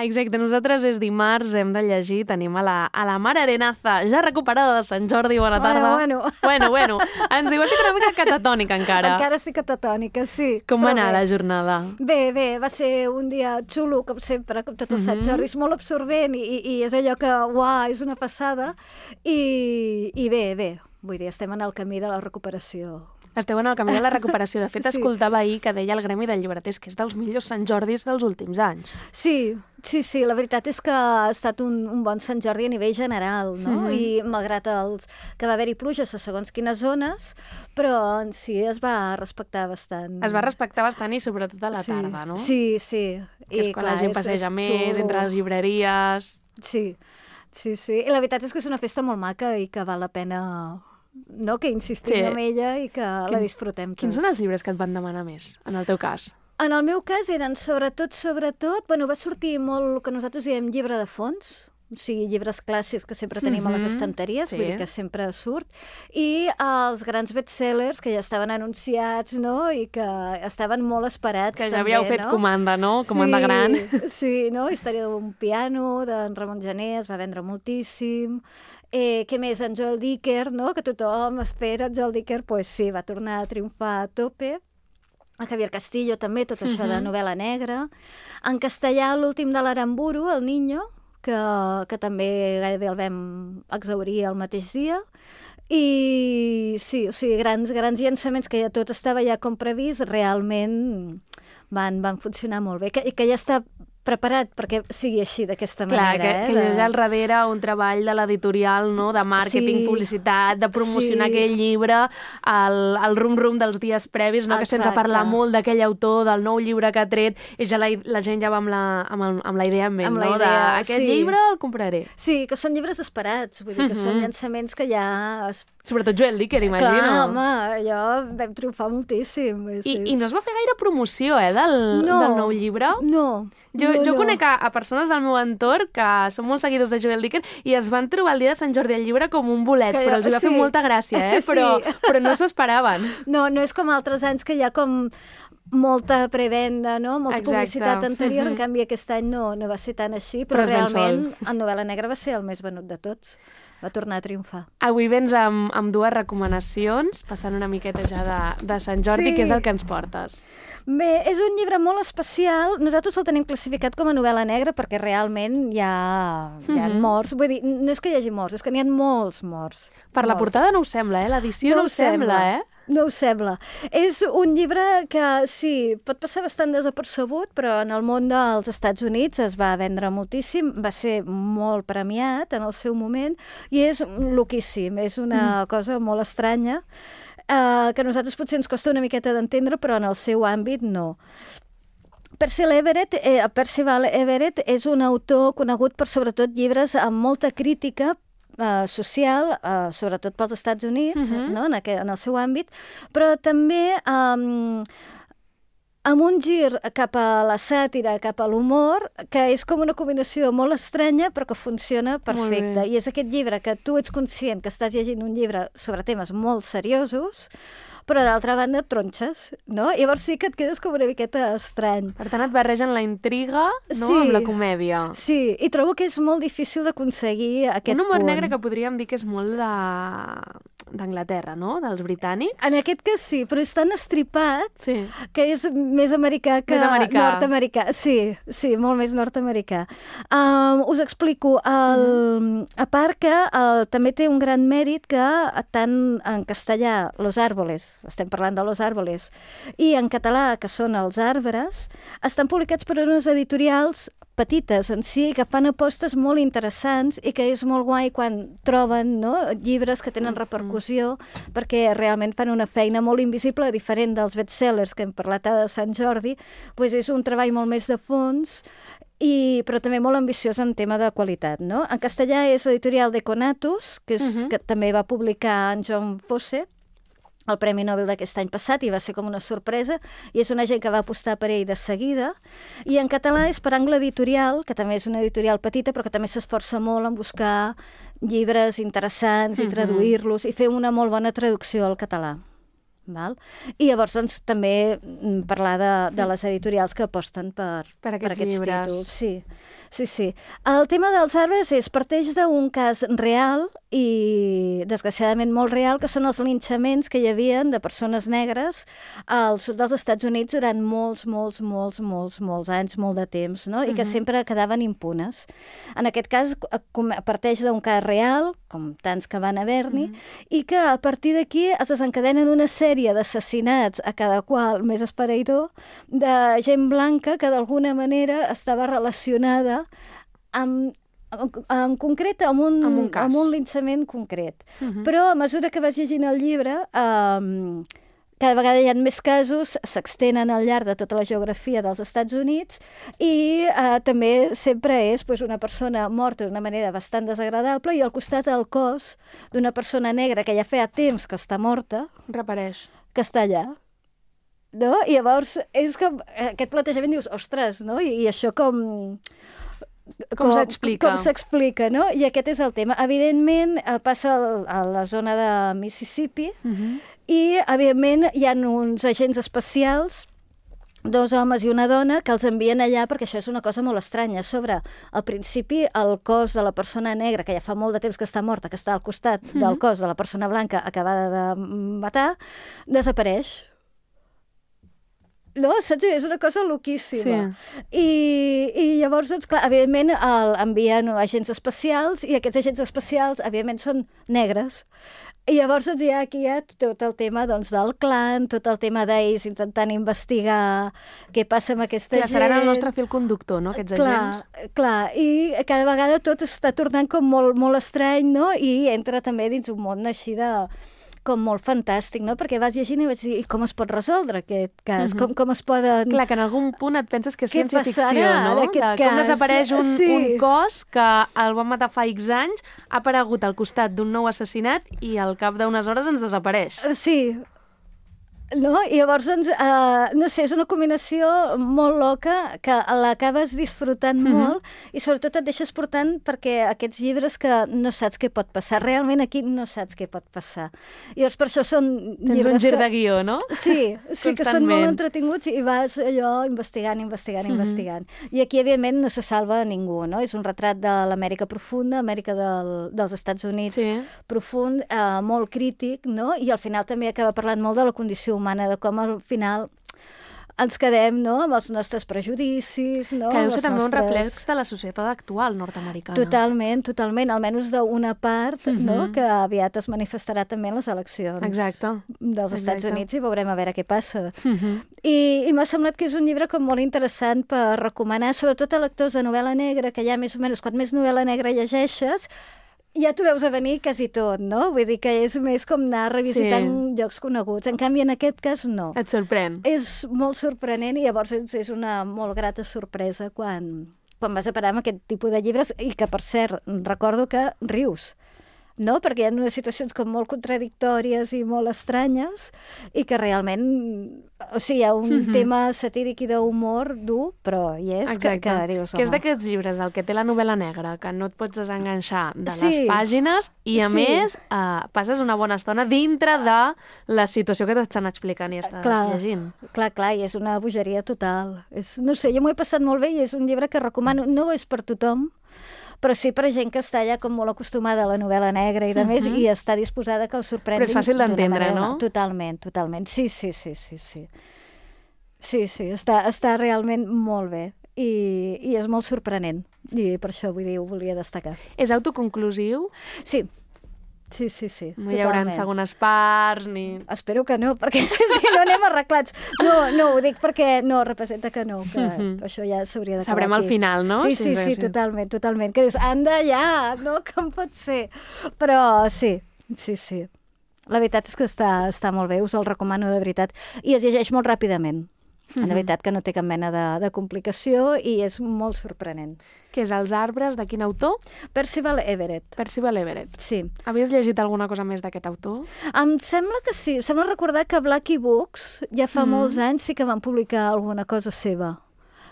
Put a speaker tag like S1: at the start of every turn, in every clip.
S1: exacte. Nosaltres és dimarts, hem de llegir, tenim a la Mar Arenaza, ja recuperada de Sant Jordi, bona tarda. Bueno. Ens diu, estic una mica catatònica encara.
S2: Encara estic catatònica, sí.
S1: Com va anar la jornada?
S2: Bé, va ser un dia xulo, com sempre, com tot el Sant Jordi. És molt absorbent i és allò que, uau, és una passada. I bé, vull dir, estem en el camí de la recuperació.
S1: Esteu en el camí de la recuperació. De fet, escoltava ahir que deia el Gremi de Llibreters que és dels millors Sant Jordis dels últims anys.
S2: Sí, la veritat és que ha estat un bon Sant Jordi a nivell general, no? I malgrat que va haver-hi pluges a segons quines zones, però en si es va respectar bastant.
S1: Es va respectar bastant i sobretot a la tarda, no?
S2: Sí.
S1: Que és quan la gent passeja més, entre les llibreries...
S2: Sí. I la veritat és que és una festa molt maca i que val la pena... No, que insistim en ella i que la disfrutem tots.
S1: Quins són els llibres que et van demanar més, en el teu cas?
S2: En el meu cas eren sobretot, bueno, va sortir molt el que nosaltres diem llibre de fons, o sigui, llibres clàssics que sempre tenim a les estanteries, vull dir que sempre surt, i els grans bestsellers que ja estaven anunciats, no?, i que estaven molt esperats
S1: que
S2: també,
S1: ja havíeu fet comanda, no?, comanda gran.
S2: Sí, no?, Història d'un piano, d'en Ramon Gené, es va vendre moltíssim. Què més? En Joel Dicker, no?, que tothom espera. Joel Dicker, pues sí, va tornar a triomfar a tope. A Javier Castillo també, tot això de novel·la negra. En castellà, l'últim de l'Aramburu, El Niño, que també gairebé el vam exhaurir el mateix dia. I sí, o sigui, grans llançaments que ja tot estava ja com previst, realment van funcionar molt bé. I que ja està preparat perquè sigui així, d'aquesta manera.
S1: Clar, que hi ha al darrere un treball de l'editorial, no?, de màrqueting, publicitat, de promocionar aquell llibre, el rum-rum dels dies previs, no?, que sense parlar molt d'aquell autor, del nou llibre que ha tret, i ja la gent ja va amb la idea en ment, no?, d'aquest llibre el compraré.
S2: Sí, que són llibres esperats, vull dir que són llançaments que ja...
S1: Sobretot Joel Dicker, imagino.
S2: Clar, home, allò vam triomfar moltíssim.
S1: I no es va fer gaire promoció, del nou llibre?
S2: No.
S1: Jo conec a persones del meu entorn que són molt seguidors de Joel Dicker i es van trobar el dia de Sant Jordi al llibre com un bolet, però els hi va fer molta gràcia, però no s'ho esperaven.
S2: No és com altres anys que hi ha com molta prevenda, no? Molta publicitat anterior, en canvi aquest any no va ser tan així, però realment en novel·la negra va ser el més venut de tots. Va tornar a triomfar.
S1: Avui vens amb dues recomanacions, passant una miqueta ja de Sant Jordi, que és el que ens portes.
S2: Bé, és un llibre molt especial. Nosaltres el tenim classificat com a novel·la negra perquè realment hi ha morts. Vull dir, no és que hi hagi morts, és que n'hi ha molts morts.
S1: Per la portada no ho sembla, l'edició no ho sembla,
S2: No ho sembla. És un llibre que, sí, pot passar bastant desapercebut, però en el món dels Estats Units es va vendre moltíssim, va ser molt premiat en el seu moment, i és loquíssim, és una cosa molt estranya, que a nosaltres potser ens costa una miqueta d'entendre, però en el seu àmbit no. Percival Everett és un autor conegut per sobretot llibres amb molta crítica social, sobretot pels Estats Units, no? En el seu àmbit, però també amb un gir cap a la sàtira, cap a l'humor, que és com una combinació molt estranya, però que funciona perfecte. I és aquest llibre que tu ets conscient que estàs llegint un llibre sobre temes molt seriosos, però d'altra banda et tronxes, no? Llavors sí que et quedes com una miqueta estrany.
S1: Per tant, et barregen la intriga, no?, amb la comèdia.
S2: Sí, i trobo que és molt difícil d'aconseguir aquest punt.
S1: Un humor negre que podríem dir que és molt d'Anglaterra, no?, dels britànics.
S2: En aquest cas sí, però és tan estripat que és més americà que nord-americà. Sí, molt més nord-americà. Us explico. A part que també té un gran mèrit que tant en castellà, Los Árboles, estem parlant de Los Árboles, i en català, que són Els Arbres, estan publicats per unes editorials petites en si, que fan apostes molt interessants i que és molt guai quan troben, no?, llibres que tenen repercussió, perquè realment fan una feina molt invisible, diferent dels bestsellers que hem parlat de Sant Jordi, doncs és un treball molt més de fons, però també molt ambiciós en tema de qualitat, no? En castellà és l'editorial de Conatus, que també va publicar en John Fosse, el Premi Nobel d'aquest any passat, i va ser com una sorpresa, i és una gent que va apostar per ell de seguida. I en català és per Angle Editorial, que també és una editorial petita, però que també s'esforça molt en buscar llibres interessants i traduir-los, i fer una molt bona traducció al català. Val? I llavors doncs, també parlar de les editorials que aposten per aquests
S1: llibres.
S2: Títols. Sí. El tema dels arbres parteix d'un cas real i desgraciadament molt real, que són els linxaments que hi havia de persones negres al sud dels Estats Units durant molts anys, molt de temps, no? I que sempre quedaven impunes. En aquest cas parteix d'un cas real, com tants que van haver-n'hi, i que a partir d'aquí es desencadenen una sèrie d'assassinats, a cada qual més esfereïdor, de gent blanca que d'alguna manera estava relacionada en concret amb un linxament concret. Però a mesura que vas llegint el llibre, cada vegada hi ha més casos, s'extenen al llarg de tota la geografia dels Estats Units i també sempre és una persona morta d'una manera bastant desagradable i al costat del cos d'una persona negra que ja feia temps que està morta,
S1: reapareix,
S2: que està allà. No? I llavors és com aquest plantejament, dius, ostres, no? I això com s'explica, no? I aquest és el tema. Evidentment, passa a la zona de Mississippi i, evidentment, hi ha uns agents especials, 2 homes i una dona, que els envien allà perquè això és una cosa molt estranya. A sobre, al principi, el cos de la persona negra, que ja fa molt de temps que està morta, que està al costat del cos de la persona blanca acabada de matar, desapareix. No, saps? És una cosa loquíssima. I llavors, doncs, clar, evidentment, envien agents especials i aquests agents especials, evidentment, són negres. I llavors doncs, aquí hi ha tot el tema del clan, tot el tema d'ells intentant investigar què passa amb aquesta gent.
S1: Seran el nostre fil conductor, no?, aquests agents.
S2: Clar, i cada vegada tot està tornant com molt estrany, no?, i entra també dins un món així com molt fantàstic, no? Perquè vas llegint i vaig dir, i com es pot resoldre aquest cas? Com es poden...
S1: Clar, que en algun punt et penses que és ciència-ficció, no? Com desapareix un cos que el van matar fa X anys, ha aparegut al costat d'un nou assassinat i al cap d'unes hores ens desapareix.
S2: Sí. No? I llavors, doncs, no sé, és una combinació molt loca que l'acabes disfrutant molt i sobretot et deixes portant perquè aquests llibres que no saps què pot passar. Realment aquí no saps què pot passar. I llavors per això són llibres...
S1: Tens un gir de guió, no?
S2: Sí, que són molt entretinguts i vas allò investigant. I aquí, evidentment, no se salva ningú, no? És un retrat de l'Amèrica profunda, Amèrica dels Estats Units profund, molt crític, no? I al final també acaba parlant molt de la condició humana, de com al final ens quedem, no?, amb els nostres prejudicis, no?
S1: Que deu ser també un reflex de la societat actual nord-americana.
S2: Totalment, almenys d'una part, no?, que aviat es manifestarà també en les eleccions dels Estats Units i veurem a veure què passa. I m'ha semblat que és un llibre com molt interessant per recomanar, sobretot a lectors de novel·la negra, que ja més o menys, quan més novel·la negra llegeixes, ja t'ho veus a venir quasi tot, no? Vull dir que és més com anar revisitant llocs coneguts. En canvi, en aquest cas, no.
S1: Et sorprèn.
S2: És molt sorprenent i llavors és una molt grata sorpresa quan vas a parar amb aquest tipus de llibres i que, per cert, recordo que rius, no? Perquè hi ha unes situacions com molt contradictòries i molt estranyes i que realment, o sigui, hi ha un tema satíric i d'humor dur, però hi és que dius, home.
S1: Que és d'aquests llibres, el que té la novel·la negra, que no et pots desenganxar de les pàgines i, a més, passes una bona estona dintre de la situació que t'estan explicant i estàs llegint.
S2: Clar, i és una bogeria total. No sé, jo m'ho he passat molt bé i és un llibre que recomano. No és per tothom, però sí per gent que està ja com molt acostumada a la novel·la negra i de més i està disposada que el sorprengui.
S1: Però és fàcil d'entendre, no?
S2: Totalment. Sí. Sí, està realment molt bé i és molt sorprenent i per això vull dir, ho volia destacar.
S1: És autoconclusiu?
S2: Sí.
S1: No hi haurà segones parts ni...
S2: Espero que no, perquè si no anem arreglats. No, ho dic perquè no, representa que no, que això ja s'hauria d'acabar aquí.
S1: Sabrem al final, no?
S2: Sí, totalment. Que dius, anda ja, no? Com pot ser? Però sí. La veritat és que està molt bé, us el recomano de veritat. I es llegeix molt ràpidament. La veritat que no té cap mena de complicació i és molt sorprenent.
S1: Què és Els arbres, de quin autor?
S2: Percival Everett. Sí.
S1: Havies llegit alguna cosa més d'aquest autor?
S2: Em sembla que sí. Em sembla recordar que Blackie Books ja fa molts anys sí que van publicar alguna cosa seva.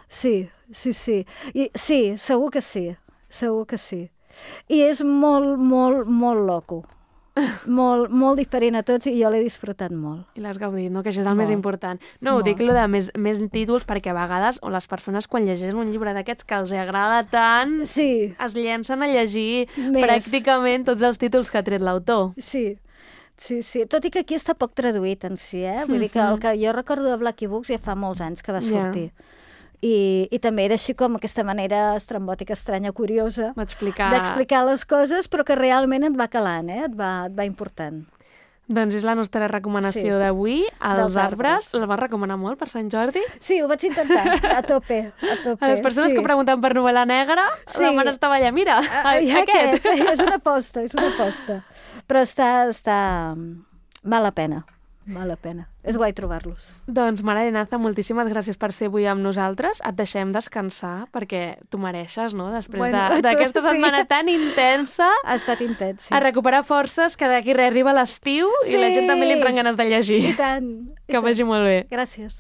S2: Sí. Segur que sí. I és molt loco. molt, molt diferent a tots i jo l'he disfrutat molt.
S1: I l'has gaudit, no? Que això és el més important. No, ho dic de més títols perquè a vegades les persones quan llegeixen un llibre d'aquests que els agrada tant es llencen a llegir pràcticament tots els títols que ha tret l'autor.
S2: Sí. Tot i que aquí està poc traduït en si, Vull dir que el que jo recordo de Blackie Books ja fa molts anys que va sortir. I també era així com aquesta manera estrambòtica, estranya, curiosa d'explicar les coses, però que realment et va calant, et va important.
S1: Doncs és la nostra recomanació d'avui, Els arbres. La vas recomanar molt per Sant Jordi?
S2: Sí, ho vaig intentar, a tope.
S1: A les persones que pregunten per novel·la negra, la mare estava allà, mira, aquest.
S2: És una aposta. Però està... Val la pena. És guai trobar-los.
S1: Doncs, Mara Arenaza, moltíssimes gràcies per ser avui amb nosaltres. Et deixem descansar, perquè tu mereixes, no?, després d'aquesta setmana tan intensa.
S2: Ha estat intens,
S1: a recuperar forces, que d'aquí arriba l'estiu i la gent també li entren ganes de llegir.
S2: I tant.
S1: Que vagi molt bé.
S2: Gràcies.